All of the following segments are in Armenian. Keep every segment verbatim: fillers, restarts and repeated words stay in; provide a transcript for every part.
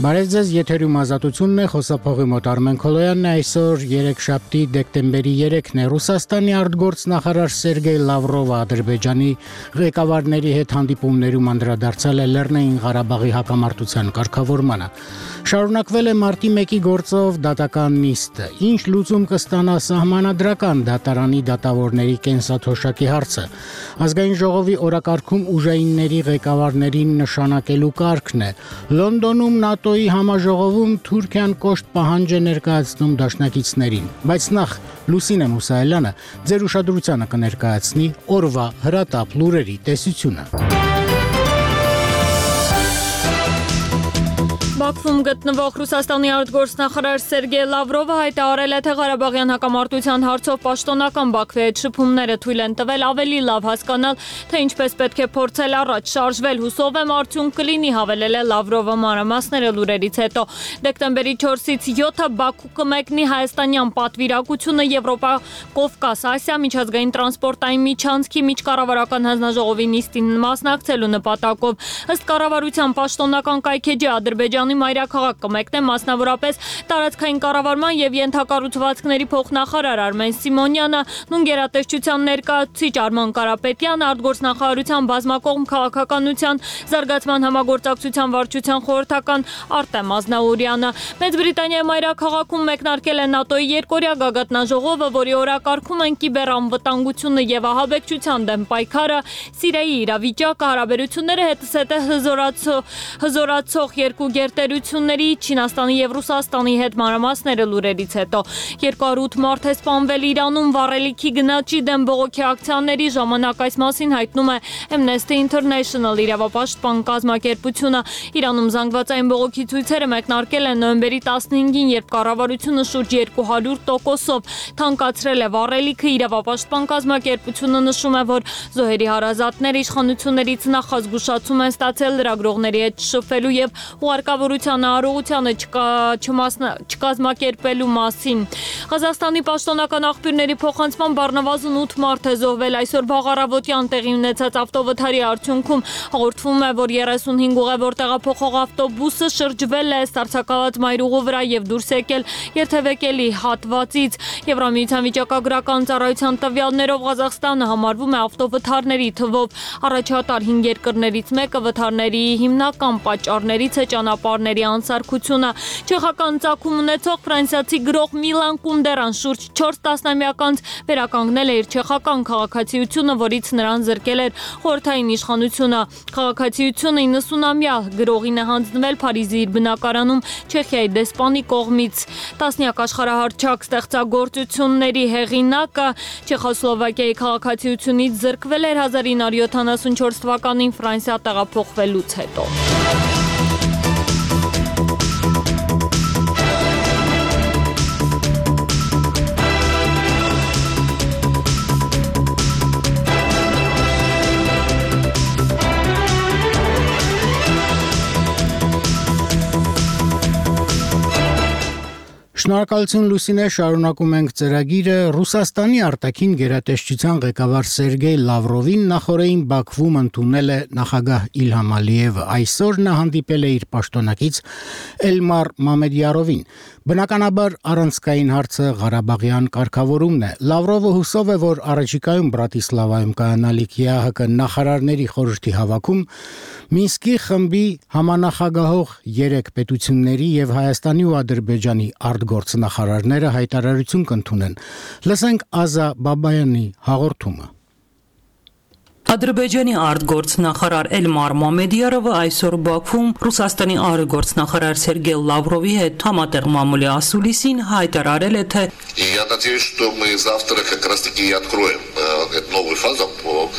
Բարև ձեզ, եթերում ազատությունն է, խոսափողի մոտ Արմեն Քոլոյանն է, այսօր երեքշաբթի դեկտեմբերի երեքն է, Ռուսաստանի արտգործնախարար Սերգեյ Լավրովը Ադրբեջանի ղեկավարների հետ հանդիպումներում անդրադարձել է Լեռնային Ղարաբաղի հակամարտության կարգավորմանը։ Շարունակվել է մարտի մեկի գործով դատական նիստը, ինչ լուծում կստանա սահմանադրական դատարանի դատավորների կենսաթոշակի հարցը։ Ազգային ժողովի օրակարգում ուժայինների ղեկավարներին նշանակելու կարգն է։ Լոնդոնում ՆԱՏՕ-ի համաժողովում Թուրքիան կոշտ պահանջ է ներկայացնում դաշնակիցներին, բայց նախ Լուսինե Մուսայելյանը ձեր ուշադրությանը կներկայացնի օրվա հրատապ լուրերի տեսությունը։ Բաքվում գտնվող Ռուսաստանի արտգործնախարար Սերգեյ Լավրովը հայտարարել է, թե Ղարաբաղյան հակամարտության հարցով պաշտոնական Բաքվի հետ շփումները թույլ են տվել ավելի լավ հասկանալ, թե ինչպես պետք է փորձել առաջ շարժվել, հուսով եմ արդյունք կլինի, հավելել է Լավրովը մանրամասները լուրերից հետո։ Դեկտեմբերի չորսից յոթը Բաքու կմեկնի հայաստանյան պատվիրակությունը Եվրոպա Կովկաս Ասիա միջազգային տրանսպորտային միջանցքի միջկառավարական հանձնաժողովի նիստին մասնակցելու նպատակով։ Ըստ կառավարության պաշտոնական կայքեջի Ադրբեջանի մայրաքաղաք կմեկնե մասնավորապես տարածքային կառավարման եւ ենթակառուցվածքների փոխնախարար Արմեն Սիմոնյանը, նույն գերատեսչության ներկայացուցիչ Արման Կարապետյանը, արտգործնախարարության բազմակողմ քաղաքականության զարգացման համագործակցության վարչության խորհրդական Արտեմ Ազնաուրյանը։ Մեծ Բրիտանիայի մայրաքաղաքում մեկնարկել է ՆԱՏՕ-ի երկօրյա գագաթնաժողովը, որի օրակարգում են կիբերանվտանգությունը եւ ահաբեկչության դեմ պայքարը, Սիրիայի իրավիճակը, հարաբերությունները հետզհետե հզորացող երկու գերտերությունների Չինաստանի եւ Ռուսաստանի հետ մանրամասները լուրերից հետո երկու հարյուր ութ մարդ է սպանվել Իրանում վառելիքի գնաճի դեմ բողոքի ակցիաների ժամանակ, այս մասին հայտնում է Amnesty International իրավապաշտպան կազմակերպությունը։ Իրանում զանգվածային բողոքի ցույցերը մեկնարկել են նոյեմբերի տասնհինգին, երբ կառավարությունը շուրջ երկու հարյուր տոկոսով թանկացրել է վառելիքը։ Իրավապաշտպան կազմակերպությունը նշում է, որ զոհերի հարազատները իշխանություններից նախազգուշացում են ստացել լրագրողների հետ շփվելու եւ ուղարկավորության առողջությանը չկազմակերպելու մասին։ Ղազախստանի պաշտոնական աղբյուրների փոխանցման առնվազն ութ մարդ է զոհվել այսօր բաղարավոտյան տեղի ունեցած ավտովթարի արդյունքում։ Հաղորդվում է, որ երեսունհինգ ուղևոր տեղափոխող ավտոբուսը շրջվել է սառցակալած մայրուղու վրա եւ դուրս եկել երթևեկելի հատվածից։ Եվրամիության վիճակագրական ծառայության տվյալներով Ղազախստանը համարվում է ավտովթարների թվով առաջատար հինգ երկրներից մեկը։ Վթարների հիմնական պատճառներից է ճանապարհների անսարքությունը։ Չեխական ծագում ունեցող ֆրանսիացի գրող Միլան Կունդերան շուրջ չորս տասնամյակ անց վերականգնել է իր չեխական քաղաքացիությունը, որից նրան զրկել էր խորհրդային իշխանությունը։ Քաղաքացիությունը իննսունամյա գրողին է հանձնվել Փարիզի իր բնակարանում Չեխիայի դեսպանի կողմից։ Տասնյակ աշխարհահռչակ ստեղծագործությունների հեղինակը Չեխոսլովակիայի քաղաքացիությունից զրկվել էր հազար ինը հարյուր յոթանասունչորս թվականին Ֆրանսիա տեղափոխվելուց հետո։ Շնորհակալություն Լուսինե, շարունակում ենք ծրագիրը։ Ռուսաստանի արտաքին գերատեսչության ղեկավար Սերգեյ Լավրովին նախորդին Բաքվում ընդունել է նախագահ Իլհամ Ալիևը։ Այսօր նա հանդիպել է իր պաշտոնակից Էլմար Մամեդյարովին։ Բնականաբար առանցքային հարցը Ղարաբաղյան կարգավորումն է։ Լավրովը հուսով է, որ առաջիկայում Բրատիսլավայում կայանալիք ԵԱՀԿ նախարարների խորհրդի հավաքում Մինսկի խմբի համանախագահող երեք պետությունների եւ Հայաստանի ու Ադրբեջանի արտգործնախարարները հայտարարություն կընդունեն։ Լսենք Ազա Բաբայանի հաղորդումը։ Ադրբեջանի արտգործնախարար Էլմար Մամեդյարովը այսօր Բաքվում Ռուսաստանի արտգործնախարար Սերգեյ Լավրովի հետ համատեղ մամուլի ասուլիսին հայտարարել է, թե Я надеюсь, что мы завтра как раз-таки и откроем эту новую фазу по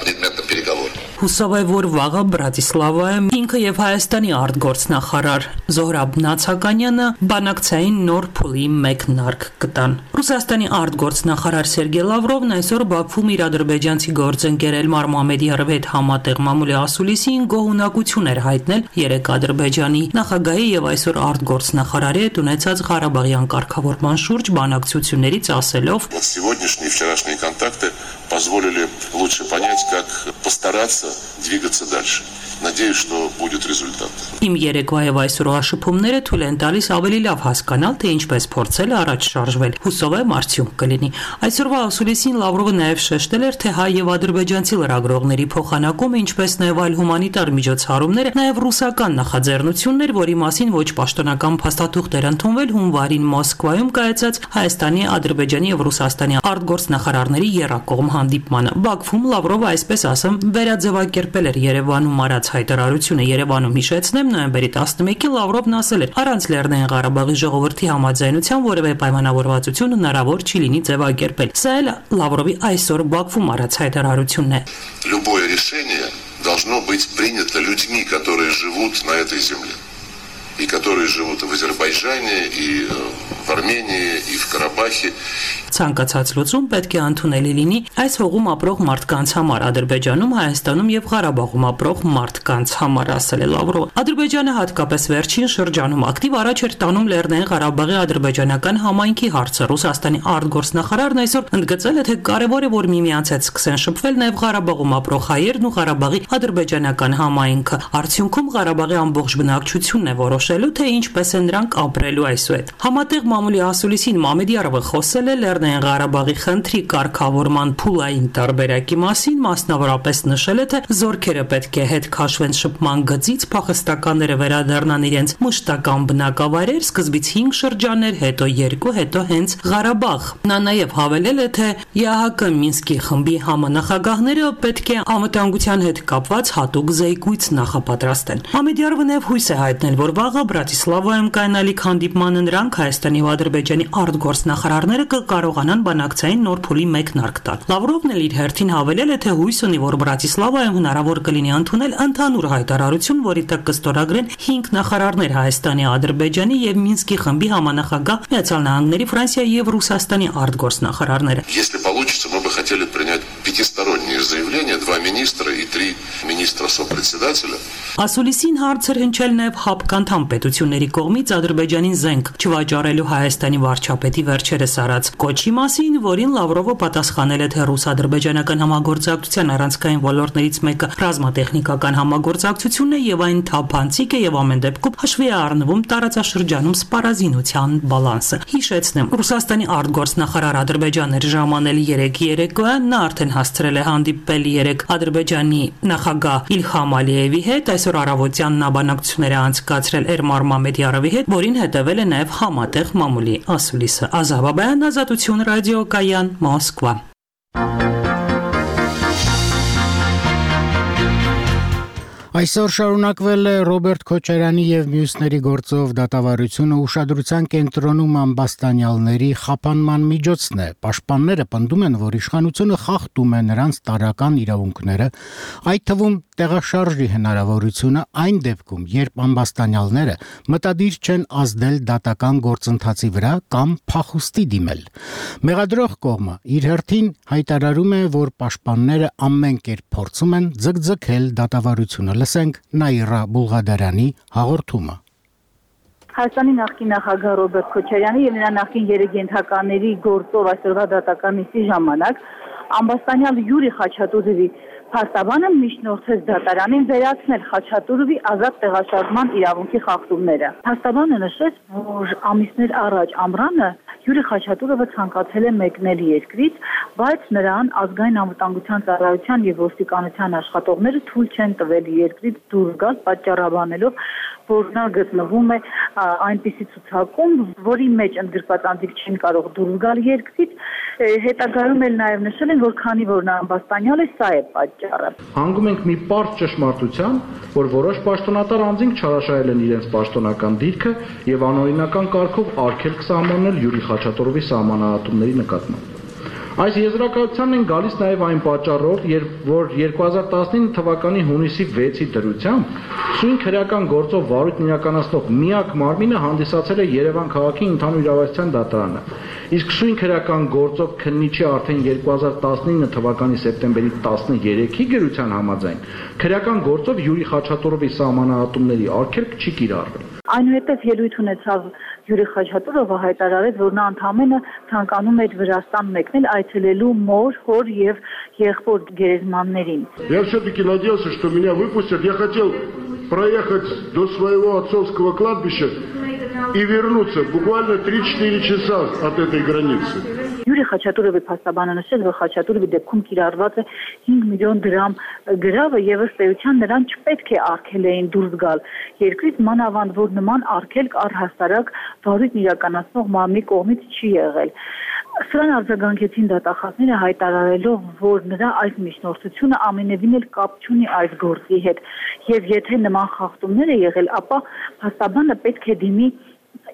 предметным переговорам. Հուսով է, որ վաղը Բրատիսլավայում ինքը եւ Հայաստանի արտգործնախարար Զոհրաբ Նացականյանը բանակցային նոր փուլի մեկնարկ կտան։ Ռուսաստանի արտգործնախարար Սերգեյ Լավրովն այսօր Բաքվում իր ադրբեջանցի գործընկեր Էլմար Մամեդյարովի հետ համատեղ մամուլի ասուլիսին գոհունակություն էր հայտնել երեք Ադրբեջանի նախագահի եւ այսօր արտգործնախարարի հետ ունեցած Ղարաբաղյան կարգավորման շուրջ բանակցություններից ասելով. Сегодняшние и вчерашние контакты позволили лучше понять, как постараться двигаться дальше. Надеюсь, что будет результат. Իմ երեկվա եւ այսօրվա շփումները թույլ են տալիս ավելի լավ հասկանալ, թե ինչպես փորձել առաջ շարժվել։ Հուսով եմ արդյունք կլինի։ Այսօրվա ասուլիսին Լավրովը նաեւ շեշտել էր, թե հայ եւ ադրբեջանցի լրագրողների փոխանակումը, ինչպես նաեւ այլ հումանիտար միջոցառումները, նաեւ ռուսական նախաձեռնություններ, որի մասին ոչ պաշտոնական փաստաթուղթեր ընդունվել հունվարին Մոսկվայում կայացած Հայաստանի, Ադրբեջանի եւ Ռուսաստանի արտգործնախարարների եռակողմ հանդիպմանը։ Բաքվում Լավրովը, այսպես ասեմ, վերաձևակերպել էր Երևանում արած հայտարարությունը Երևանում հիշեցնեմ նոյեմբերի տասնմեկին Լավրովն ասել էր առանց Լեռնային Ղարաբաղի ժողովրդի համաձայնության որևէ պայմանավորվածություն հնարավոր չի լինի ձևակերպել։ Սա էլ Լավրովի այսօր Բաքվում արած հայտարարությունն է։ Любое решение должно быть принято людьми, которые живут на этой земле. И которые живут и в Азербайджане, и в Армении, и в Карабахе. Ցանկացած լուծում պետք է ընդունելի լինի այս հողում ապրող մարդկանց համար, Ադրբեջանում, Հայաստանում եւ Ղարաբաղում ապրող մարդկանց համար, ասել է Լավրովը։ Ադրբեջանը հատկապես վերջին շրջանում ակտիվ առաջ էր տանում Լեռնային Ղարաբաղի ադրբեջանական համայնքի հարցը։ Ռուսաստանի արտգործնախարարն այսօր ընդգծել է, թե կարևոր է, որ միմյանց հետ սկսեն շփվել նաեւ Ղարաբաղում ապրող հայերն ու Ղարաբաղի ադրբեջանական համայնքը։ Արդյունքում Ղարաբաղի ամբողջ բնակչությունն է որոշելու, թե ինչպես են նրանք ապրելու այսուհետ։ Համատեղ մամուլի ասուլիսին Մամեդյարովը խոսել է Լեռնային Ղարաբաղի խնդրի կարգավորման փուլային տարբերակի մասին, մասնավորապես նշել է, թե զորքերը պետք է հետ քաշվեն շփման գծից, փախստականները վերադառնան իրենց մշտական բնակավայրեր, սկզբից հինգ շրջաններ, հետո երկու, հետո հենց Ղարաբաղ։ Նա նաև հավելել է, թե ԵԱՀԿ Մինսկի խմբի համանախագահները պետք է անվտանգության հետ կապված հատուկ զեկույց նախապատրաստեն։ Մամեդյարովը նաև հույս է հայտնել, որ վաղը Բրատիսլավայում կայանալիք հանդիպմանը նրանք Հայաստանի ու Ադրբեջանի արտգործնախարարները կկարողանան բանակցային նոր փուլի մեկնարկ տալ։ Լավրովն էլ իր հերթին հավելել է, թե հույս ունի, որ Բրատիսլավայում հնարավոր կլինի ընդունել ընդհանուր հայտարարություն, որի տակ կստորագրեն հինգ նախարարներ Հայաստանի, Ադրբեջանի եւ Մինսկի խմբի համանախագահ Միացյալ Նահանգների, Ֆրանսիայի եւ Ռուսաստանի արտգործնախարարները։ Если получится, мы бы хотели принять пятисторонние заявления, два министра и три министра сопредседателя. Ասուլիսին հարցեր հնչել նաև հապկանդամ պետությունների կողմից Ադրբեջանին զենք չվաճառելու Հայաստանի վարչապետի վերջերս արած կոչի մասին, որին Լավրովը պատասխանել է, թե ռուս-ադրբեջանական համագործակցության առանցքային ոլորտներից մեկը ռազմատեխնիկական համագործակցությունն է եւ այն թափանցիկ է եւ ամեն դեպքում հաշվի է առնվում տարածաշրջանում սպառազինության բալանսը։ Հիշեցնեմ, Ռուսաստանի արտգործնախարար Ադրբեջանն էր ժամանել երեկ երեկոյան, նա արդեն հասցրել է հանդիպել երեկ Ադրբեջանի նախագահ Իլհամ Ալիևի հետ, այսօր առավոտյան նա բանակցություններ է անցկացրել Էրմար Մամեդյարովի հետ, որին հետևել է նաև համատեղ մամուլի ասուլիսը։ Ազատ Բաբայան, Ազատություն ռադիոկայան, Մոսկվա։ Այսօր շարունակվել է Ռոբերտ Քոչարյանի եւ մյուսների գործով դատավարությունը ուշադրության կենտրոնում ամբաստանյալների խափանման միջոցն է։ Պաշտպանները պնդում են, որ իշխանությունը խախտում է նրանց տարրական իրավունքները, այդ թվում տեղաշարժի հնարավորությունը այն դեպքում, երբ ամբաստանյալները մտադիր չեն ազդել դատական գործընթացի վրա կամ փախուստի դիմել։ Մեղադրող կողմը իր հերթին հայտարարում է, որ պաշտպանները ամեն կերպ փորձում են ձգձգել դատավարությունը։ Լսենք Նաիրա Բուլղադարյանի հաղորդումը։ Հայաստանի նախկին նախագահ Ռոբերտ Քոչարյանի եւ նրա նախկին երեգենթականների գործով այսօրվա դատական նիստի ժամանակ ամբաստանյալ Յուրի Խաչատուրովի փաստաբանը միջնորդեց դատարանին վերացնել Խաչատուրովի ազատ տեղաշարժման իրավունքի խախտումները։ Փաստաբանը նշեց, որ ամիսներ առաջ ամռանը Յուրի Խաչատուրովը ցանկացել է մեկնել երկրից, բայց նրան ազգային անվտանգության ծառայության եւ ոստիկանության աշխատողները թույլ չեն տվել երկրից դուրս գալ, պատճառաբանելով, որ նա գտնվում է այնպիսի ցուցակում, որի մեջ ընդգրկված անձիկ չեն կարող դուրս գալ երկրից, հետագայում էլ նաև նշել են, որ քանի որ նա ամբաստանյալ է, սա է պատճառը։ Հանգում ենք մի պարզ ճշմարտության, որ որոշ պաշտոնատար անձինք չարաշահել են իրենց պաշտոնական դիրքը եւ անօրինական կարգով արգելք սահմանել Յուրի Խաչատուրովի սահմանահատումների նկատմամբ։ Այս եզրակացությանն են գալիս նաև այն պատճառով, որ երկու հազար տասնինը թվականի հունիսի վեցի դրությամբ սույն քրեական գործով վարույթն իրականացնող միակ մարմինը հանդիսացել է Երևան քաղաքի ընդհանուր իրավասության դատարանը։ Իսկ սույն քրեական գործով քննիչի արդեն երկու հազար տասնինը թվականի սեպտեմբերի տասներեքի գրության համաձայն քրեական գործով Յուրի Խաչատուրովի սահմանահատումների արգելք չի կիրառվել։ Այնուհետև ելույթ ունեցավ Յուրի Խաչատուրովը հայտարարեց, որ նա ընդամենը ցանկանում էր Վրաստան մեկնել այցելելու մոր, հոր եւ եղբոր գերեզմաններին։ Я все-таки надеялся, что меня выпустят. Я хотел проехать до своего отцовского кладбища и вернуться буквально три-четыре часа от этой границы. Յուրի Խաչատուրովի փաստաբանը նշել, որ Խաչատուրովի դեպքում կիրառված է հինգ միլիոն դրամ գրավը եւ ըստ էության նրան չպետք է արգելեին դուրս գալ երկրից, մանավանդ որ նման արգելք առհասարակ վարույթն իրականացնող մամի կողմից չի եղել։ Սրան արձագանքեցին դատախազները հայտարարելով, որ նրա այս միջնորդությունը ամենևին էլ կապ չունի այս գործի հետ եւ եթե նման խախտումներ է եղել, ապա փաստաբանը պետք է դիմի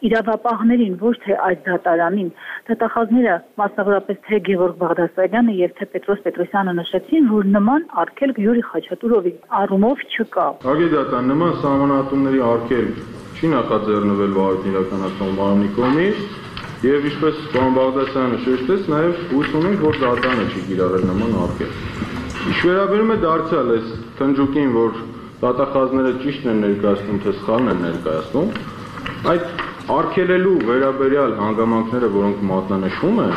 իրավապահներին, ոչ թե այս դատարանին։ Դատախազները, մասնավորապես թե Գևորգ Բաղդասարյանը եւ թե Պետրոս Պետրոսյանը նշեցին, որ նման արգելք Յուրի Խաչատուրովի առումով չկա։ Ագեդական նման սահմանադրումների արգելք չի նախաձեռնվել վարույթն իրականացնող մարմնի կողմից եւ ինչպես պարոն Բաղդասարյանը շեշտեց, նաեւ հույս ունենք, որ դատարանը չի կիրառել նման արգելք։ Ինչ վերաբերում է դարձյալ այս թնջուկին, որ դատախազները ճիշտն են ներկայացնում, թե սխալն են ներկայացնում, այդ արգելելու վերաբերյալ հանգամանքները, որոնք մատնանշվում են,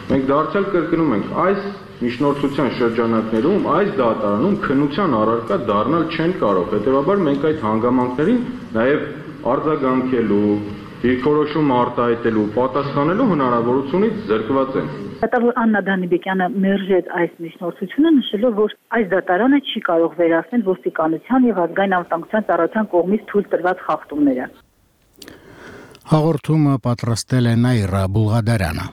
մենք դարձյալ կրկնում ենք, այս միջնորդության շրջանակներում, այս դատարանում քննության առարկա դառնալ չեն կարող։ Հետևաբար մենք այդ հանգամանքներին նաև արձագանքելու, դիրքորոշում արտահայտելու, պատասխանելու հնարավորությունից զրկված ենք։ Դատավոր Աննա Դանիբեկյանը մերժեց այս միջնորդությունը, նշելով, որ այս դատարանը չի կարող վերացնել ոստիկանության եւ ազգային անվտանգության ծառայության կողմից թույլ տրված խախտումները։ Հաղորդումը պատրաստել է Նաիրա Բուլղադարյանը։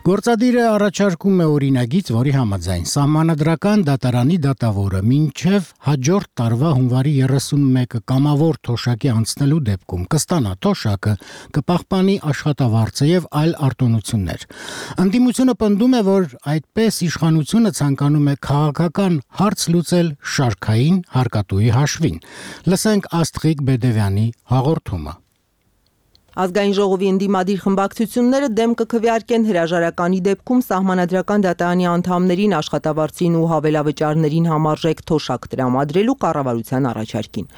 Գործադիրը առաջարկում է օրինագիծ, որի համաձայն սահմանադրական դատարանի դատավորը մինչև հաջորդ տարվա հունվարի երեսունմեկը կամավոր թոշակի անցնելու դեպքում կստանա թոշակը, կպահպանի աշխատավարձը եւ այլ արտոնություններ։ Ընդդիմությունը պնդում է, որ այդպես իշխանությունը ցանկանում է քաղաքական հարց լուծել շարքային հարկատուի հաշվին։ Լսենք Աստղիկ Բեդևյանի հաղորդումը։ Ազգային ժողովի ընդդիմադիր խմբակցությունները դեմ կքվեարկեն հրաժարականի դեպքում սահմանադրական դատարանի անդամներին աշխատավարձին ու հավելավճարներին համարժեք թոշակ տրամադրելու կառավարության առաջարկին։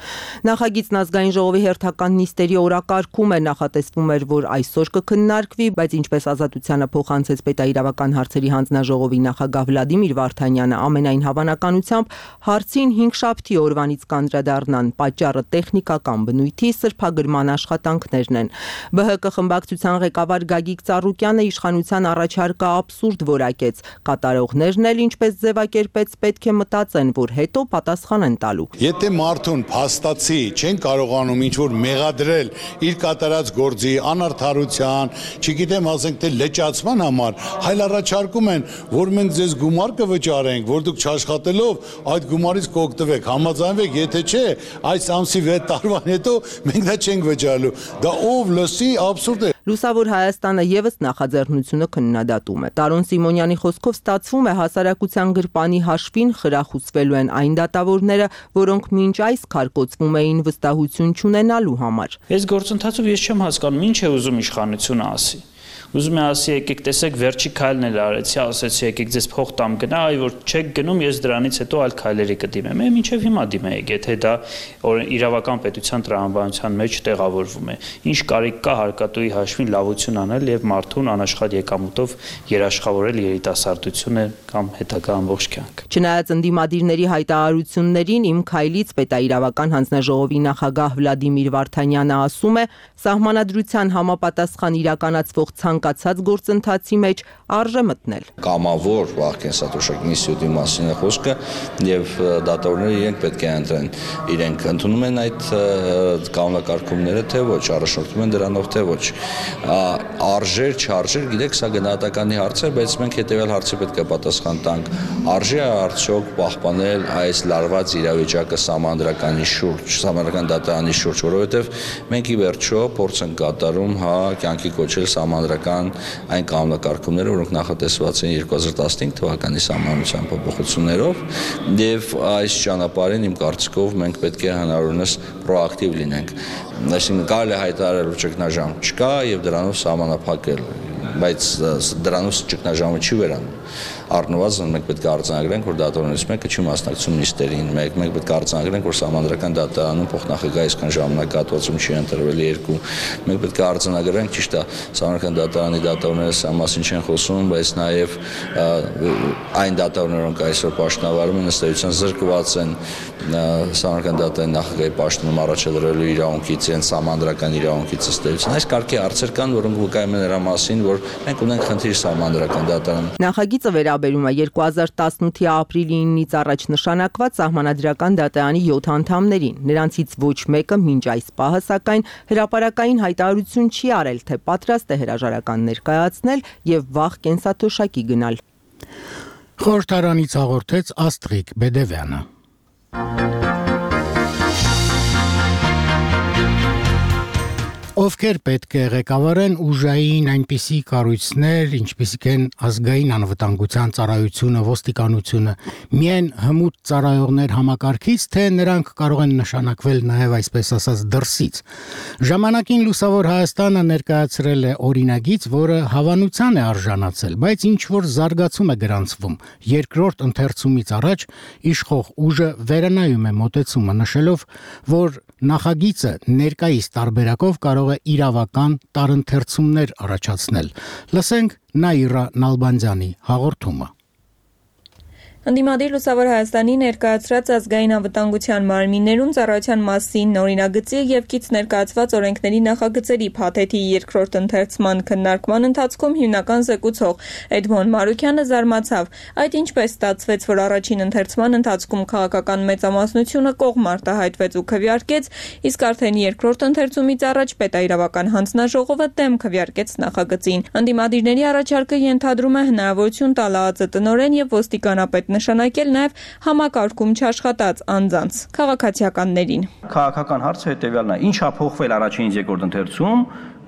Նախագիծն ազգային ժողովի հերթական նիստերի օրակարգում է, նախատեսվում էր, որ այսօր կքննարկվի, բայց ինչպես Ազատությանը փոխանցեց պետաիրավական հարցերի հանձնաժողովի նախագահ Վլադիմիր Վարդանյանը, ամենայն հավանականությամբ հարցին հինգշաբթի օրվանից կանդրադառնան, պատճառը տեխնիկական բնույթի սրբագրման աշխատանքներն են։ Բ Հ Կ խմբակցության ղեկավար Գագիկ Ծառուկյանը իշխանության առաջարկը աբսուրդ որակեց։ Կատարողներն էլ ինչպես ձևակերպեց, պետք է մտածեն, որ հետո պատասխան են տալու։ Եթե մարդուն փաստացի չեն կարողանում ինչ-որ մեղադրել իր կատարած գործի անարդարության, չգիտեմ, ասենք թե լճացման համար, հայլ առաջարկում են, որ մենք ձեզ գումար կվճարենք, որ դուք չաշխատելով այդ գումարից կօգտվեք, համաձայնվեք, եթե չէ, այս ամսի վեց տարվան հետո մենք դա չենք վճարելու։ Դա ով լսի աբսուրդ է։ Լուսավոր Հայաստանը եւս նախաձեռնությունը քննադատում է։ Տարոն Սիմոնյանի խոսքով ստացվում է հասարակության գրպանի հաշվին խրախուսվելու են այն դատավորները, որոնք մինչ այս քարկոծվում էին վստահություն չունենալու համար։ Այս գործընթացով ես չեմ հասկանում, ինչ է ուզում իշխանությունը ասի։ Ուզում է ասի, եկեք տեսեք, վերջի քայլն էլ արեցի, ասեցի, եկեք ձեզ փող տամ գնա, այ որ չեք գնում, ես դրանից հետո այլ քայլերի կդիմեմ։ Եմ ինչև հիմա դիմեիք, եթե դա իրավական պետության տրամաբանության մեջ տեղավորվում է։ Ինչ կարիք կա հարկատուի հաշվին լավություն անել եւ մարդուն անաշխատ եկամուտով երաշխավորել երիտասարդությունը կամ հետագա ամբողջ կյանք։ Չնայած ընդդիմադիրների հայտարարություններին, իմ քայլից պետաիրավական հանձնաժողովի նախագահ Վլադիմիր Վարդանյանը ասում է, սահմանադրության համապատասխան իրականացվող ցանկացած գործընթացի մեջ արժե մտնել։ Կամավոր վաղ կենսաթոշակի ինստիտուտի մասին է խոսքը եւ դատավորները իրենք պետք է ընտրեն, իրենք ընդունում են այդ կանոնակարգումները թե ոչ, առաջնորդվում են դրանով թե ոչ։ Արժեր, չարժեր, գիտեք, սա գնահատականի հարց է, բայց մենք հետեւյալ հարցի պետք է պատասխան տանք։ Արժե է արդյոք պահպանել այս լարված իրավիճակը սահմանադրականի շուրջ, սահմանադրական դատարանի շուրջ, որովհետեւ մենք ի վերջո փորձ ենք կատարում, հա, կյանքի կոչել սահմանադրական այն կանոնակարգումները, որոնք նախատեսված են երկու հազար տասնհինգ թվականի սահմանադրության փոփոխություններով, եւ այս ճանապարհին իմ կարծիքով մենք պետք է հնարավորինս պրոակտիվ լինենք։ Այսինքն կարելի է հայտարարել, որ ճգնաժամ չկա եւ դրանով սահմանափակել, բայց դրանով ճգնաժամը չի վերանում։ առնվազն մենք պետք է արձանագրենք, որ դատավորներից մեկը չի մասնակցում նիստերին, մեկ մենք պետք է արձանագրենք, որ Սահմանադրական դատարանում փոխնախագահ այսքան ժամանակահատվածում չի ընտրվել երկու, մենք պետք է արձանագրենք, ճիշտ է, Սահմանադրական դատարանի դատավորները սա մասին չեն խոսում, բայց նաև այն դատավորները, ոնք այսօր պաշտոնավարում են, ըստ էության զրկված են Սահմանադրական դատարանի նախագահի պաշտոնում առաջադրելու իրավունքից, իրենց սահմանադրական իրավունքից, ըստ էության այս կարգի հարցեր կան, որոնք վկայում են նրա մասին, որ մենք ունենք խնդիր Սահմանադրական դատարանում։ Նախագիծը վերաբերում է երկու հազար տասնութի ապրիլի իննից առաջ նշանակված Սահմանադրական դատարանի յոթ անդամներին։ Նրանցից ոչ մեկը մինչ այս պահը, սակայն հրապարակային հայտարարություն չի արել, թե պատրաստ է հրաժարական ներկայացնել եւ վաղ կենսաթոշակի գնալ։ Խորհրդարանից հաղորդեց Աստրիկ Բեդևյանը։ Ովքեր պետք է ղեկավարեն ուժային այնպիսի կառույցներ, ինչպիսիք են ազգային անվտանգության ծառայությունը, ոստիկանությունը, միայն հմուտ ծառայողներ համակարգից, թե նրանք կարող են նշանակվել նաև այսպես ասած դրսից։ Ժամանակին Լուսավոր Հայաստանը ներկայացրել է օրինագիծ, որը հավանության է արժանացել, բայց ինչ որ զարգացում է գրանցվում։ Երկրորդ ընթերցումից առաջ իշխող ուժը վերանայում է մոտեցումը, նշելով, որ նախագիծը ներկայիս տարբերակով կարող է իրավական տարընթերցումներ առաջացնել։ Լսենք Նաիրա Նալբանդյանի հաղորդումը։ Ընդդիմադիր Լուսավոր Հայաստանի ներկայացրած ազգային անվտանգության մարմիններում ծառայության մասին օրինագծի եւ կից ներկայացված օրենքների նախագծերի փաթեթի երկրորդ ընթերցման քննարկման ընթացքում հիմնական զեկուցող Էդմոն Մարուկյանը զարմացավ, այդ ինչպես ստացվեց, որ առաջին ընթերցման ընթացքում քաղաքական մեծամասնությունը կողմ արտահայտվեց ու քվեարկեց, իսկ արդեն երկրորդ ընթերցումից առաջ պետաիրավական հանձնաժողովը դեմ քվեարկեց նախագծին։ Ընդդիմադիրների առաջարկը ենթադրում է հնարավորություն տալ ԱԱԾ տնօրեն եւ ոստիկանապետ նշանակել նաև համակարգում չաշխատած անձանց քաղաքացիականներին։ Քաղաքական հարցը հետևյալն է. ինչ է փոխվել առաջինից երկրորդ ընթերցում,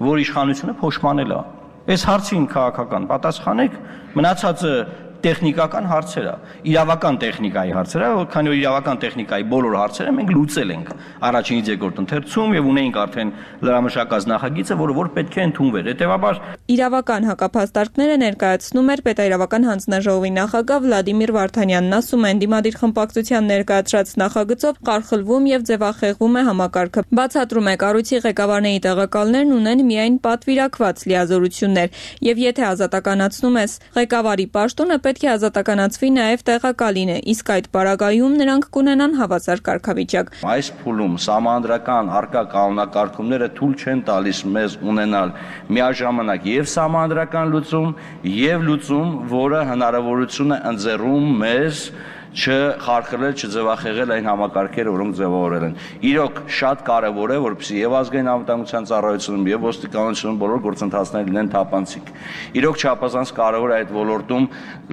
որ իշխանությունը փոշմանել է։ Այս հարցին քաղաքական պատասխանեք, մնացածը տեխնիկական հարցեր է, իրավական տեխնիկայի հարցեր է, քանի որ իրավական տեխնիկայի բոլոր հարցերը մենք լուծել ենք առաջինից երկրորդ ընթերցում եւ ունեինք արդեն լրամշակած նախագիծը, որը որ պետք է ընդունվեր։ Հետեւաբար իրավական հակափաստարկները ներկայացնում էր պետաիրավական հանձնաժողովի նախագահ Վլադիմիր Վարդանյանն, ասում է, ընդդիմադիր խմբակցության ներկայացրած նախագծով ղարխլվում եւ ձևախեղվում է համակարգը։ Բացատրում է, կառույցի ղեկավարների տեղակալներն ունեն միայն պատվիրակված լիազորություններ եւ եթե ազատականացնում ես ղեկավարի պաշտոնը, պետք է ազատականացվի նաև տեղակալին է, իսկ այդ պարագայում նրանք կունենան հավասար կարգավիճակ։ Այս փուլում սահմանադրական արկա կանոնակարգումները թույլ չեն տալիս մեզ ունենալ միաժամանակ եւ սահմանադրական լուծում եւ լուծում, որը հնարավորություն է ընձեռում մեզ չխարխլել, չձևախեղել այն համակարգերը, որոնք ձևավորել են։ Իրոք շատ կարևոր է, որպեսզի եւ ազգային անվտանգության ծառայությունում եւ ոստիկանությունում բոլոր գործընթացները լինեն թափանցիկ։ Իրոք չափազանց կարևոր է այդ ոլորտում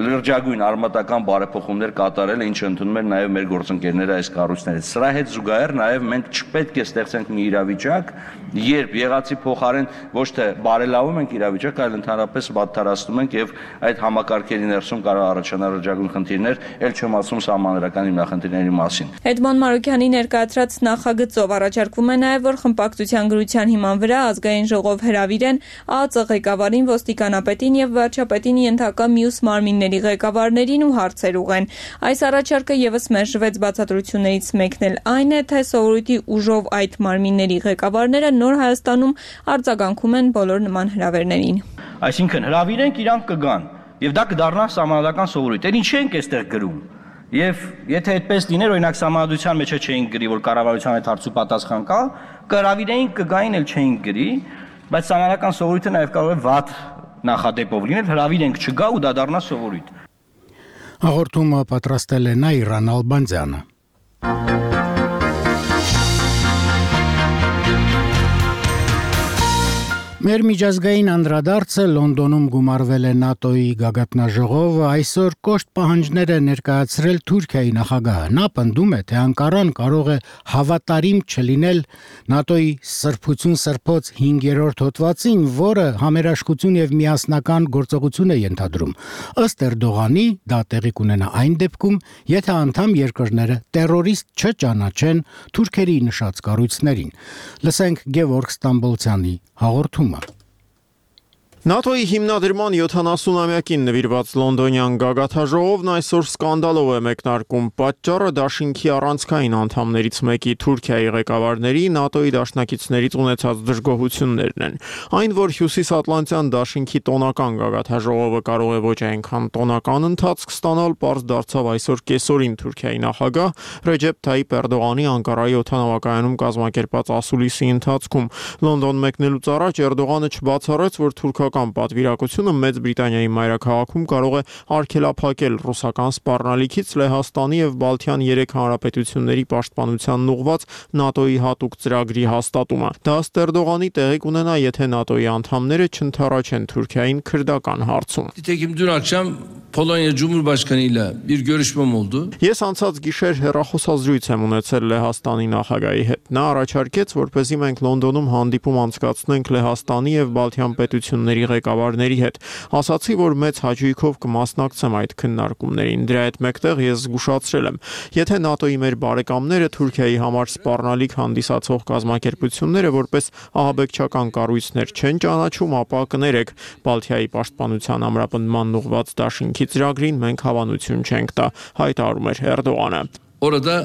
լրջագույն արմատական բարեփոխումներ կատարելը, ինչը ընդունում են նաեւ մեր գործընկերները այս կառույցներից։ Սրա հետ զուգահեռ նաեւ մենք չպետք է ստեղծենք մի իրավիճակ, երբ եղածի փոխարեն ոչ թե բարելավում ենք իրավիճակը, այլ ընդհանրապես վատթարացնում ենք եւ այդ համակարգերի ներսում կարող առաջանալ լրջագույն խնդիրներ, ել չեմ ասում սահմանադրական հիմնախնդիրների մասին։ Էդմոն Մարուկյանի ներկայացրած նախագծով առաջարկվում է նաև, որ խմբակցության գրության հիման վրա ազգային ժողով հրավիրեն ԱԱԾ ղեկավարին, ոստիկանապետին եւ վարչապետին ենթակա մյուս մարմինների ղեկավարներին ու հարցեր ուղեն։ Այս առաջարկը եւս մերժվեց բացատրություններից մեկն էլ այն է, թե սովորույթի ուժով այդ մարմինների ղեկավարները նոր Հայաստանում արձագանքում են բոլոր նման հրավերներին։ Այսինքն հրավիրենք, իրանք կգան եւ դա կդառնա սահմանադրական սովորույթ։ Էլ ինչ ենք այստեղ գրում։ Եվ եթե այդպես լիներ, օրինակ սահմանադրության մեջ չէին գրի, որ կառավարության այդ հարցու պատասխան կա, կհրավիրեին, կգային, էլ չէին գրի, բայց սահմանադրական սովորույթը նաև կարող է վատ նախադեպով լինել, հրավիրենք չգա ու դա դառնա սովորույթ։ Հաղորդումը պատրաստել է Նաիրա Նալբանդյանը։ Մեր միջազգային անդրադարձը Լոնդոնում գումարվել է ՆԱՏՕ-ի գագաթնաժողովը, այսօր կոշտ պահանջներ է ներկայացրել Թուրքիայի նախագահը։ Նա պնդում է, թե Անկարան կարող է հավատարիմ չլինել ՆԱՏՕ-ի սրբություն սրբոց հինգերորդ հոդվածին, որը համերաշխություն եւ միասնական գործողություն է ենթադրում։ Ըստ Էրդողանի, դա տեղի կունենա այն դեպքում, եթե անդամ երկրները տերորիստ չճանաչեն թուրքերի նշած կառույցներին։ Լսենք Գևորգ Ստամբոլցյանի հաղորդումը։ ՆԱՏՕ-ի հիմնադրման յոթանասունամյակին նվիրված լոնդոնյան գագաթաժողովն այսօր սկանդալով է մեկնարկում։ Պատճառը դաշինքի առանցքային անդամներից մեկի Թուրքիայի ղեկավարների ՆԱՏՕ-ի դաշնակիցներից ունեցած դժգոհություններն են։ Այն, որ Հյուսիսատլանտյան դաշինքի տոնական գագաթաժողովը կարող է ոչ այնքան տոնական ընթացք ստանալ, պարզ դարձավ այսօր կեսօրին Թուրքիայի նախագահ Ռեջեփ Թայիփ Էրդողանի Անկարայի օդանավակայանում կազմակերպած ասուլիսի ընթացքում։ Լոնդոն մեկնելուց առաջ Էրդողանը չբացառեց, որ թուրքական պատվիրակությունը Մեծ Բրիտանիայի մայրաքաղաքում կարող է արգելափակել ռուսական սպառնալիքից Լեհաստանի եւ Բալթյան երեք հանրապետությունների պաշտպանությանն ուղղված ՆԱՏՕ-ի հատուկ ծրագրի հաստատումը։ Դա ըստ Էրդողանի տեղի կունենա, եթե ՆԱՏՕ-ի անդամները չընդառաջեն Թուրքիային քրդական հարցում։ Nitekim dün akşam Polonya Cumhurbaşkanı ile bir görüşmem oldu. Ես անցած գիշեր հեռախոսազրույց եմ ունեցել Լեհաստանի նախագահի հետ։ Նա առաջարկեց, որպեսզի մենք Լոնդոնում հանդիպում անցկացնենք Լեհաստանի եւ Բալթյան պետությունների ղեկավարների հետ։ Ասացի, որ մեծ հաճույքով կմասնակցեմ այդ քննարկումներին։ Դրա հետ մեկտեղ ես զգուշացրել եմ, եթե ՆԱՏՕ-ի մեր բարեկամները Թուրքիայի համար սպառնալիք հանդիսացող կազմակերպությունները որպես ահաբեկչական կառույցներ չեն ճանաչում, ապա կներեք, Բալթիայի պաշտպանության ամրապնդման ուղղված դաշինքի ծրագրին մենք հավանություն չենք տա, հայտարարում էր Էրդողանը։ Orada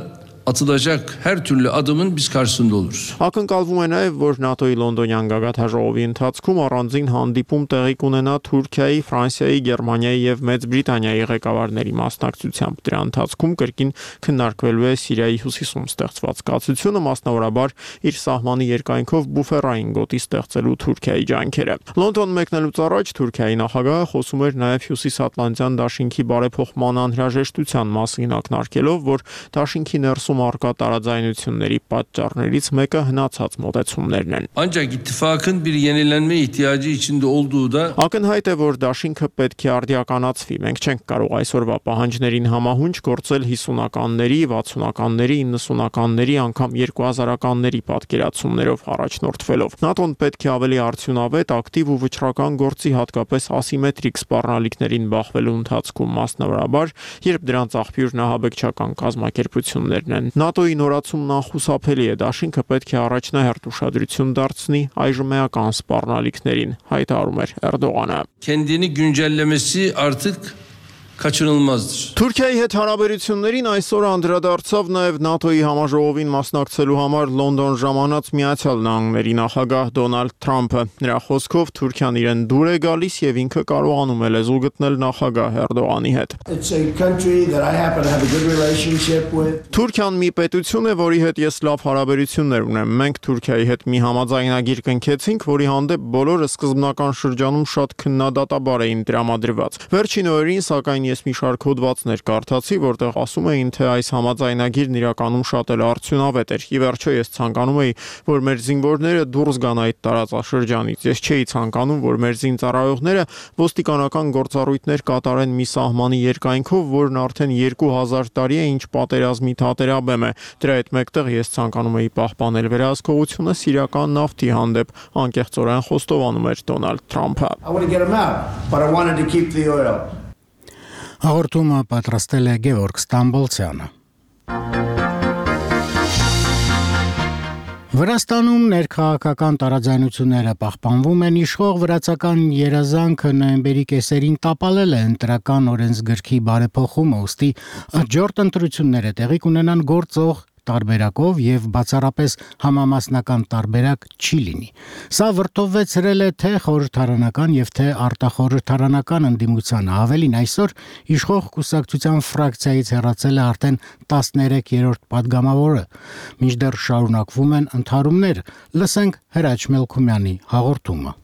atılacak her türlü adımın biz karşısında oluruz. Ակնկալվում է նաև, որ ՆԱՏՕ-ի լոնդոնյան գագաթաժողովի ընթացքում առանձին հանդիպում տեղի կունենա Թուրքիայի, Ֆրանսիայի, Գերմանիայի եւ Մեծ Բրիտանիայի ղեկավարների մասնակցությամբ։ Դրա ընթացքում կրկին քննարկվելու է Սիրիայի հյուսիսում ստեղծված կացությունը, մասնավորաբար իր սահմանի երկայնքով բուֆերային գոտի ստեղծելու Թուրքիայի ջանքերը։ Լոնդոն մեկնելուց առաջ Թուրքիայի նախագահը խոսում էր նաև Հյուսիսատլանտյան դաշինքի բարեփոխման անհրաժեշտության մասին, ակնարկելով, որ դաշինքի ներսում արկա տարաձայնությունների պատճառներից մեկը հնացած մոտեցումներն են։ Ancak ittifakın bir yenilenme ihtiyacı içinde olduğu da Ակնհայտ է, որ դաշինքը պետք է արդիականացվի։ Մենք չենք կարող այսօրվա պահանջներին համահունչ գործել հիսունականների, վաթսունականների, իննսունականների, անգամ երկու հազարականների պատկերացումներով առաջնորդվելով։ ՆԱՏՕ-ն պետք է ավելի արդյունավետ, ակտիվ ու վճռական գործի, հատկապես ասիմետրիկ սպառնալիքներին բախվելու ընթացքում, մասնավորաբար, երբ դրանց աղբյուրն ահաբեկչական կազմակերպություններն են։ ՆԱՏՕ-ի նորացումն անխուսափելի է, դաշինքը պետք է առաջնահերթ ուշադրություն դարձնի այժմ էական սպառնալիքներին, հայտարարում էր Էրդողանը։ kendini güncellemesi artık kaçınılmazdır. Թուրքիայի հետ հարաբերություններին այսօր անդրադարձավ նաև ՆԱՏՕ-ի համաժողովին մասնակցելու համար Լոնդոն ժամանած Միացյալ Նահանգների նախագահ Դոնալդ Թրամփը։ Նրա խոսքով Թուրքիան իրեն դուր է գալիս եւ ինքը կարողանում է լեզու գտնել նախագահ Էրդողանի հետ։ Թուրքիան մի պետություն է, որի հետ ես լավ հարաբերություններ ունեմ։ Մենք Թուրքիայի հետ մի համաձայնագիր կնքեցինք, որի հանդեպ բոլորը սկզբնական շրջանում շատ քննադատաբար էին տրամադրված։ Վերջին օրերին, սակայն ես մի շարք հոդվածներ կարդացի, որտեղ ասում էին, թե այս համաձայնագիրն իրականում շատ էլ արդյունավետ էր։ Ի վերջո ես ցանկանում էի, որ մեր զինվորները դուրս գան այդ տարածաշրջանից։ Ես չէի ցանկանում, որ մեր զինծառայողները ոստիկանական գործառույթներ կատարեն մի սահմանի երկայնքով, որն արդեն երկու հազար տարի է ինչ պատերազմի թատերաբեմ է։ Դրա հետ մեկտեղ ես ցանկանում էի պահպանել վերահսկողությունը սիրիական նավթի հանդեպ, անկեղծորեն խոստովանում էր Դոնալդ Թրամփը։ Հաղորդումը պատրաստել է Գևորգ Ստամբոլցյանը։ Վրաստանում ներքաղաքական տարաձայնությունները պահպանվում են, իշխող վրացական երազանքը նոյեմբերի կեսերին տապալել է ընտրական օրենսգրքի բարեփոխումը, ուստի աջորդ ընտրությունները տեղի կունենան գործող տարբերակով եւ բացառապես համամասնական տարբերակ չի լինի։ Սա վրդովվեցրել է թե խորհրդարանական եւ թե արտախորհրդարանական ընդդիմությանը, ավելին այսօր իշխող կուսակցության ֆրակցիայից հեռացել է արդեն տասներեքերորդ падգամավորը։ Մինչդեռ շարունակվում են ընդհարումներ, լսենք Հրաչ Մելքումյանի հաղորդումը։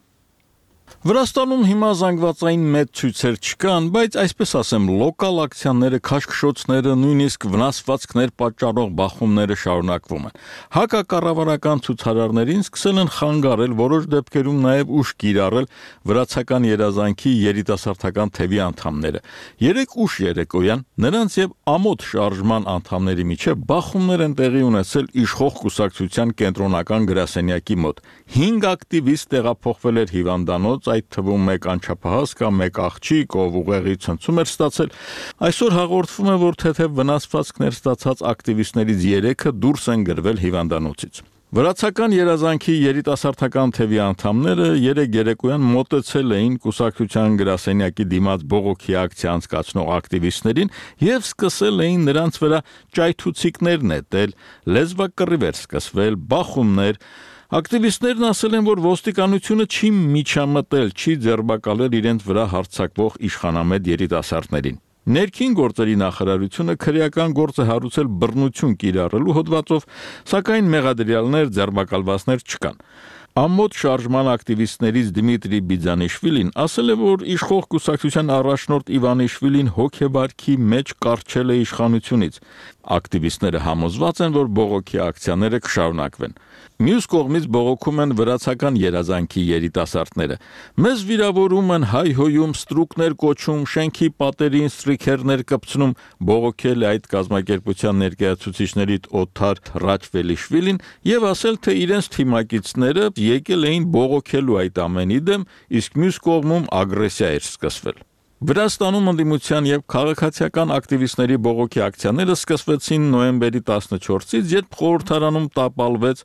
Վրաստանում հիմա զանգվածային մեծ ցույցեր չկան, բայց այսպես ասեմ, լոկալ ակցիաները, քաշքշոցները, նույնիսկ վնասվածքներ պատճառող բախումները շարունակվում են։ Հակակառավարական ցուցարարներին սկսել են խանգարել, որոշ դեպքերում նաև ուժ կիրառել վրացական երազանքի երիտասարդական թևի անդամները։ Երեք ուշ երեկոյան նրանց եւ ամոթ շարժման անդամների միջև բախումներ են տեղի ունեցել իշխող կուսակցության կենտրոնական գրասենյակի մոտ։ Հինգ ակտիվիստ տեղափոխվել էր հիվանդանոց, այդ թվում մեկ անչափահաս կամ մեկ աղջիկ, ով ուղեղի ցնցում էր ստացել։ Այսօր հաղորդվում է, որ թեթև վնասվածքներ ստացած ակտիվիստներից երեքը դուրս են գրվել հիվանդանոցից։ Վրացական երազանքի երիտասարդական թևի անդամները երեկ երեկոյան մոտեցել էին կուսակցության գրասենյակի դիմաց բողոքի ակցիա անցկացնող ակտիվիստներին եւ սկսել էին նրանց վրա ճայթուցիկներ նետել, լեզվակռիվեր սկսվել, բախումներ։ Ակտիվիստներն ասել են, որ ոստիկանությունը չի միջամտել, չի ձերբակալել իրենց վրա հարձակվող իշխանամետ երիտասարդներին։ Ներքին գործերի նախարարությունը քրեական գործ է հարուցել բռնություն կիրառելու հոդվածով, սակայն մեղադրյալներ, ձերբակալվածներ չկան։ Ամոթ շարժման ակտիվիստներից Դիմիտրի Բիձանիշվիլին ասել է, որ իշխող կուսակցության առաջնորդ Իվանիշվիլին հոգեվարքի մեջ կառչել է իշխանությունից։ Ակտիվիստները համոզված են, որ բողոքի ակցիաները կշարունակվեն։ Մյուս կողմից բողոքում են վրացական երազանքի երիտասարդները։ Մեզ վիրավորում են, հայհոյում, ստրուկներ կոչում, շենքի պատերին ստրիքերներ կպցնում, բողոքել է այդ կազմակերպության ներկայացուցիչներից Օթար Ռաչվելիշվիլին եւ ասել, թե իրենց թիմակիցները եկել էին բողոքելու այդ ամենի դեմ, իսկ մյուս կողմում ագրեսիա էր սկսվել։ Վրաստանում ընդդիմության եւ քաղաքացիական ակտիվիստների բողոքի ակցիաները սկսվեցին նոյեմբերի տասնչորսից, երբ խորհրդարանում տապալվեց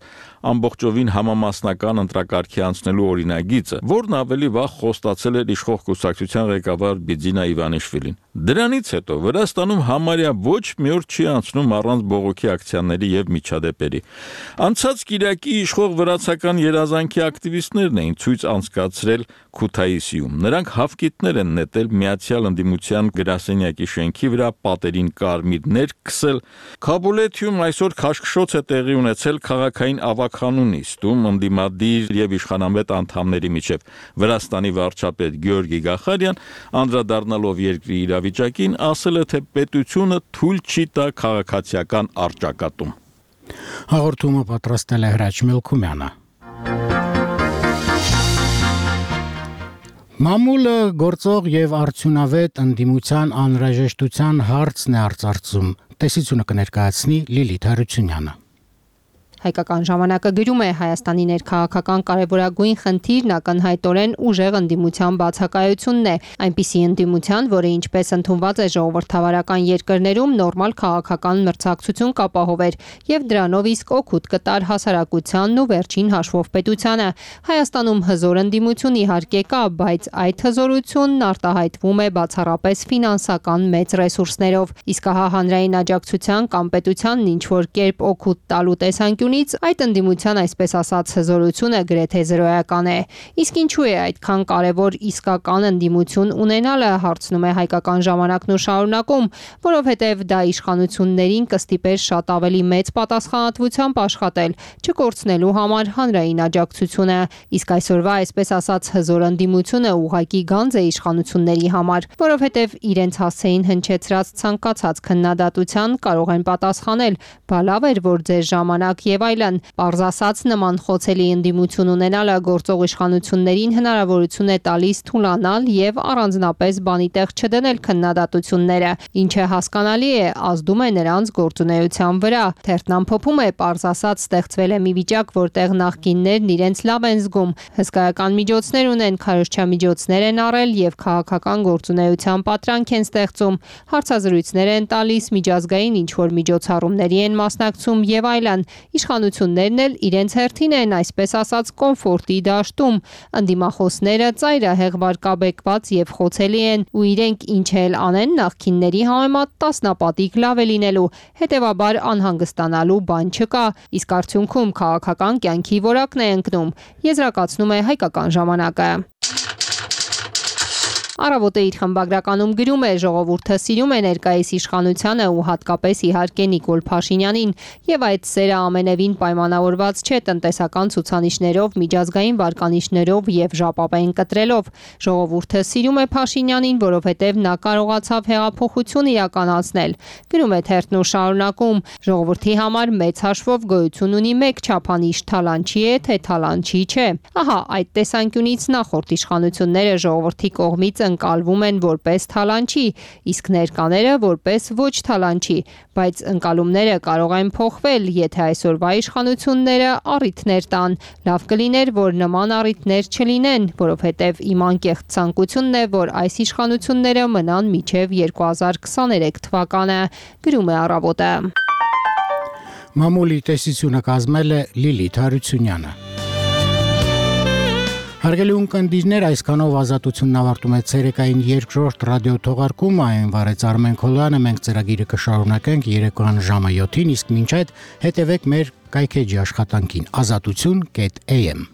ամբողջովին համամասնական ընտրակարգի անցնելու օրինագիծը, որն ավելի վաղ խոստացել էր իշխող կուսակցության ղեկավար Բիձինա Իվանիշվիլին։ Դրանից հետո Վրաստանում համարյա ոչ մի օր չի անցնում առանց բողոքի ակցիաների եւ միջադեպերի։ Անցած կիրակի իշխող վրացական երազանքի ակտիվիստներն էին ցույց անցկացրել Քութայիսիում։ Նրանք հավկիթներ են նետել Միացյալ ընդդիմության գրասենյակի շենքի վրա, պատերին կարմիրներ քսել։ Քաբուլեթիում այսօր քաշքշոց է տեղի ունեցել քաղաքային ավագանու նիստում ընդդիմադիր եւ իշխանամետ անդամների միջև։ Վրաստանի վարչապետ Գյորգի Գախարյան, անդրադառնալով երկրի իրավիճակին, ասել է, թե պետությունը թույլ չի տա քաղաքացիական առճակատում։ Հաղորդումը պատրաստել է Հրաչ Մելքումյանը։ Մամուլը գործող եւ արդյունավետ ընդդիմության անհրաժեշտության հարցն է արծարծում։ Տեսությունը կներկայացնի Լիլիթ Հարությունյանը։ Հայկական ժամանակը գրում է Հայաստանի ներքաղաքական կարևորագույն խնդիրն ակնհայտորեն ուժեղ ընդդիմության բացակայությունն է, այնպիսի ընդդիմության, որը ինչպես ընդունված է ժողովրդավարական երկրներում նորմալ քաղաքական մրցակցություն կապահովեր եւ դրանով իսկ օգուտ կտար հասարակությանն ու վերջին հաշվով պետությանը։ Հայաստանում հզոր ընդդիմություն իհարկե կա, բայց այդ հզորությունն արտահայտվում է բացառապես ֆինանսական մեծ ռեսուրսներով, իսկ հա հանրային աջակցության կամ պետությանն ինչ որ կերպ օգուտ տալու տեսանկյունից այդ ընդդիմության այսպես ասած հզորությունը գրեթե զրոյական է։ Իսկ ինչու է այդքան կարևոր իսկական ընդդիմություն ունենալը, հարցնում է Հայկական ժամանակն ու շարունակում, որովհետև դա իշխանություններին կստիպեր շատ ավելի մեծ պատասխանատվությամբ աշխատել, չկորցնելու համար հանրային աջակցությունը, իսկ այսօրվա այսպես ասած հզոր ընդդիմությունը ուղղակի գանձ է իշխանությունների համար, որովհետև իրենց հասցեին հնչեցրած ցանկացած քննադատության կարող են պատասխանել, բա լավ էր, որ ձեր ժամանակ եւ այլն։ Պարզ ասած, նման խոցելի ընդդիմություն ունենալը գործող իշխանություններին հնարավորություն է տալիս թուլանալ եւ առանձնապես բանի տեղ չդնել քննադատությունները, ինչը հասկանալի է, ազդում է նրանց գործունեության վրա։ Թերթն ամփոփում է, պարզ ասած, ստեղծվել է մի վիճակ, որտեղ նախկիններն իրենց լավ են զգում, հսկայական միջոցներ ունեն, քարոզչամիջոցներ են առել եւ քաղաքական գործունեության պատրանք են ստեղծում, հարցազրույցներ են տալիս, միջազգային ինչ որ միջոցառումների են մասնակցում եւ այլն։ Իշխանություններն էլ իրենց հերթին են այսպես ասած կոմֆորտի դաշտում, ընդդիմախոսները ծայրահեղ վարկաբեկված եւ խոցելի են ու իրենք ինչ էլ անեն նախքինների համեմատ տասնապատիկ լավ է լինելու, հետեւաբար անհանգստանալու բան չկա, իսկ արդյունքում քաղաքական կյանքի որակն է ընկնում, եզրակացնում է Հայկական ժամանակը։ Առավոտը իր խմբագրականում գրում է, ժողովուրդը սիրում է ներկայիս իշխանությանը ու հատկապես իհարկե Նիկոլ Փաշինյանին, եւ այդ սերը ամենևին պայմանավորված չէ տնտեսական ցուցանիշներով, միջազգային վարկանիշներով եւ ժապավեն կտրելով։ Ժողովուրդը սիրում է Փաշինյանին, որովհետեւ նա կարողացավ հեղափոխություն իրականացնել։ Գրում է թերթն ու շարունակում. ժողովրդի համար մեծ հաշվով գոյություն ունի մեկ չափանիշ՝ թալանչի է, թե թալանչի չէ։ Ահա այդ տեսանկյունից նախորդ իշխանությունները ժողովրդի կողմից ընկալվում են որպես թալանչի, իսկ ներկաները որպես ոչ թալանչի, բայց ընկալումները կարող են փոխվել, եթե այսօրվա իշխանությունները առիթներ տան։ Լավ կլիներ, որ նման առիթներ չլինեն, որովհետև իմ անկեղծ ցանկությունն է, որ այս իշխանությունները մնան մինչև երկու հազար քսաներեք թվականը, գրում է Առավոտը։ Մամուլի տեսությունը կազմել է Լիլիթ Հարությունյանը։ Հարգելի ունկնդիրներ, այսքանով ազատությունն ավարտում է ցերեկային երկրորդ ռադիո թողարկումը, այն վարեց Արմեն Քոլյանը, մենք ծրագիրը կշարունակենք երեկոյան ժամը յոթին, իսկ մինչ այդ հետևեք մեր կայքեջի աշխատանքին ազատություն կետ էյ էմ